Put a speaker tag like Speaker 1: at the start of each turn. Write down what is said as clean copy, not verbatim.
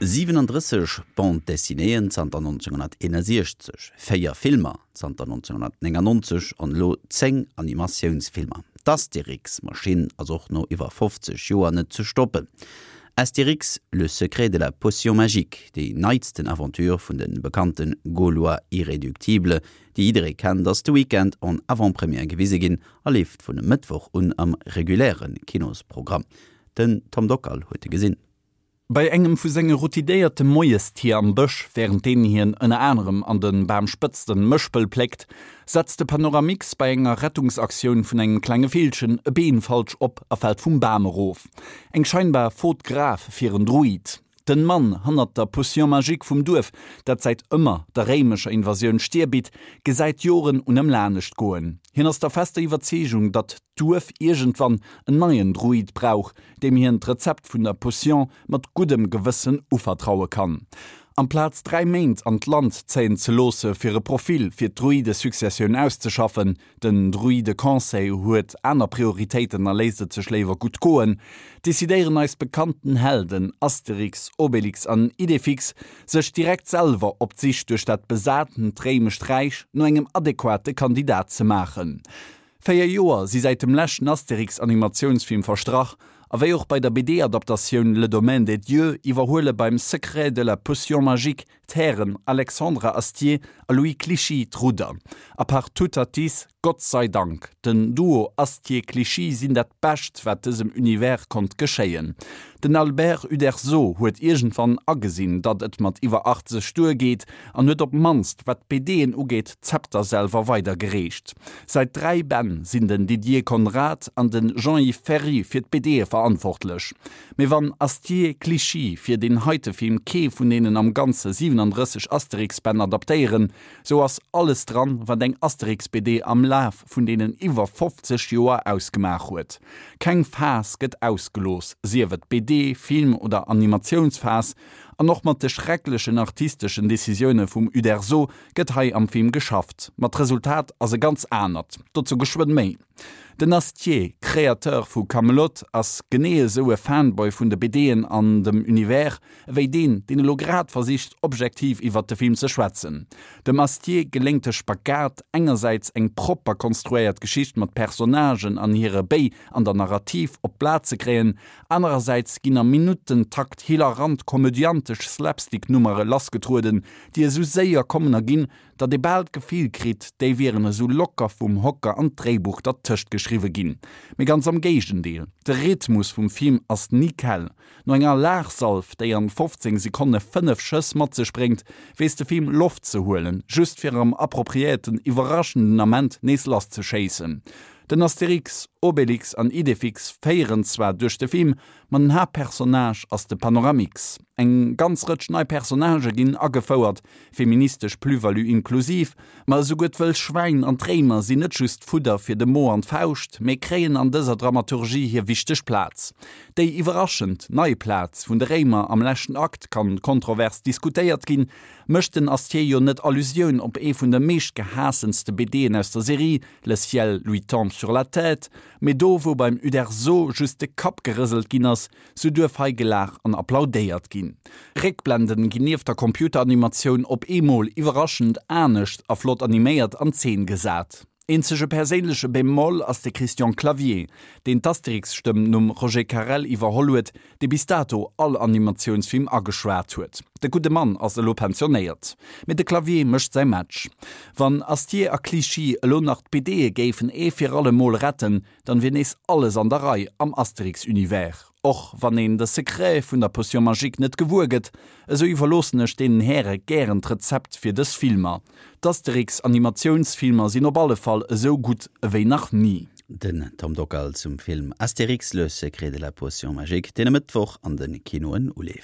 Speaker 1: 37 Bande dessinéeën zanter 1961, 4 Filmer zanter 1999 an elo 10 Animatiounsfilmer. D'Astérix-Maschinn ass och no iwwer 50 Joer net ze stoppen. Astérix, le secret de la potion magique, déi neitsten Aventure vun de bekannte Gaulois irréductibles, déi jidderee kennt, ass de Weekend en Avant-première gewise ginn a leeft vun e Mëttwoch un am reguläre Kinosprogramm. Den Tom Dockal huet e gesinn.
Speaker 2: Bei engem vu senge routidéierte Moiestier am Bësch, wärend deenen hien ënner anerem an de Bamspëtzten Mëspel pléckt, setzt de Panoramix bei enger Rettungsaktioun vun engem klenge Villchen e Been falsch op a fält vum Bam erof. Eng scheinbar Faute grave fir en Druid. Den Mann hannert der Potion magique vum Duerf, dat säit ëmmer der réimescher Invasioun d'Stier bitt, gesäit d'Joren un ëm lanescht goen. Hien ass der fester Iwwerzeegung, datt d'Duerf iergendwann en neien Druid brauch, deem hien d'Rezept vun der Potion mat guddem Gewëssen uvertraue kann. Amplaz 3 Méint an d'Land zéien ze loosse fir e Profil fir d'Druidesuccessioun auszeschaffen, den Druideconseil huet aner Prioritéiten a léisst et sech léiwer gutt goen, decidéieren eis bekannten Helden Asterix, Obelix an Idefix sech direkt selwer op d'Sich duerch dat besatent réimescht Räich no engem adequate Kandidat ze maachen. 4 Joer si säit dem leschten Astérix-Animatiounsfilm verstrach, a wéi och bei der BD-Adaptatioun Le Domaine des Dieux iwwerhuele beim Secret de la potion magique d'Hären Alexandre Astier a Louis Clichy d'Rudder. A par Toutatis, Gott sei Dank! Den Duo Astier-Clichy sinn dat Bescht, wat dësem Univers konnt geschéien. Den Albert Uderzo huet iergendwann agesinn, datt et mat iwwer 80 duergeet an huet op d'mannst, wat d'BDen ugeet, d'Zepter selwer weidergereecht. Säit 3 Bänn sinn den Didier Conrad an de Jean-Yves Ferri fir d'BDe verantwortlech. Mee wann Astier Clichy fir deen heite Film kee vun deenen am Ganze 37 Asterix-Bänn adaptéieren, sou ass alles dran, wat eng Asterix-BD am Laf vun deenen iwwer 50 Joer ausgemaach huet. Keng Phas gëtt ausgelooss, sief et BD, Film oder Animatiounsphas, an och mat de schrecklechen artisteschen Decisioune vum Uderzo gëtt hei am Film geschafft, ma d'Resultat ass e ganz anert. Dozou geschwënn méi. Den Astier, Créateur vu Kaamelott, ass genee esou e Fanboy vun de BDen an dem Univers, ewéi deen, deen elo grad versicht, objektiv iwwert de Film ze schwätzen. Dem Astier geléngt de Spagat, engersäits eng propper konstruéiert Geschicht mat Personnagen an hire Béi an der Narrativ op d'Blat ze kréien, anerersäits ginn am Minuttentakt hilarant komödiantesch Slapstick-Nummere lassgetrueden, déi esou séier kommen a ginn, datt ee bal d'Gefill kritt, déi wieren esou locker vum Hocker an d'Dréibuch dertëscht geschriwwe ginn. Mee ganz am Géigendeel, de Rhythmus vum Film ass nickel. No enger Laachsalv, déi an 15 Sekonne 5 Schëss mat sech bréngt, weess de Film Loft ze huelen, just fir am appropriéierten, iwwerraschenden Ament nees lasszeschéissen. Den Astérix, Obélix an Idéfix féieren zwar duerch de Film, ma den Haaptpersonnage ass de Panoramix. Eng ganz Rëtsch nei Personnagë ginn agefouert, feministesch Plus-value inklusiv, ma esouguer d'wëll Schwäin an d'Réimer sinn net just Fudder fir de Mo an d'Fauscht, mee kréien an dëser Dramaturgie hir wichteg Plaz. Déi iwwerraschend nei Plaz vun de Réimer am leschten Akt kann kontrovers diskutéiert ginn, mécht den Astier jo net Allusioun op ee vun de meeschtgehaassenste BDen aus der Serie, Le ciel lui tombe sur la tête, mee do wou beim Uderzo just de Kapp gerëselt ginn ass, Sou duerf hei gelaach an applaudéiert ginn. Réckblenden ginn nieft der Computeranimatioun op eemol iwwerraschend anescht a flott animéiert an Zeen gesat. Eenzege perséinleche Bémol ass de Christian Clavier, deen d'Asterix-Stëmm nom Roger Carel iwwerholl huet, dee bis dato all Animatiounsfilm ageschwat huet. De gudde Mann ass elo pensionéiert, mee de Clavier mécht säi Match. Wann Astier a Clichy elo nach d'BDe géifen ee fir alle Mol retten, Dann wier nees alles an der Rei am Asterix-Univers. Och wann een de Secret vun der Potion magique net gewuer gëtt, esou iwwerloossen ech deenen Häre gären d'Rezept fir dës Filmer. D'Asterix-Animatiounsfilmer sinn op alle Fall esou gutt ewéi nach ni.
Speaker 1: Den Tom Dockal zum Film Astérix, le secret de la potion magique, deen e Mëttwoch an de Kinoen uleeft.